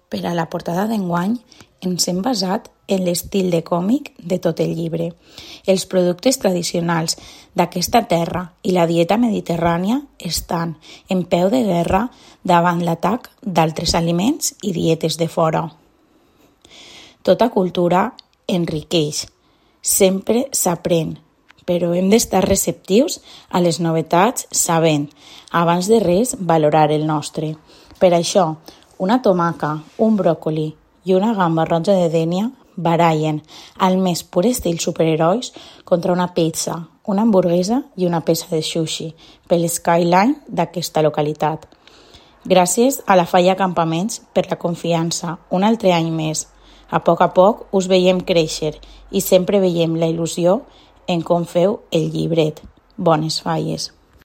Per a la portada d'enguany ens hem basat en l'estil de còmic de tot el llibre. Els productes tradicionals d'aquesta terra i la dieta mediterrània estan en peu de guerra davant l'atac d'altres aliments i dietes de fora. Tota cultura enriqueix, sempre s'aprèn, però hem d'estar receptius a les novetats sabent, abans de res, valorar el nostre. Per això, una tomaca, un bròcoli i una gamba roja de Dénia barallen al més pur estil superherois contra una pizza, una hamburguesa i una peça de sushi per l'skyline d'aquesta localitat. Gràcies a la Falla Campaments per la confiança, un altre any més. A poc us veiem créixer i sempre veiem la il·lusió en com feu el llibret. Bones falles.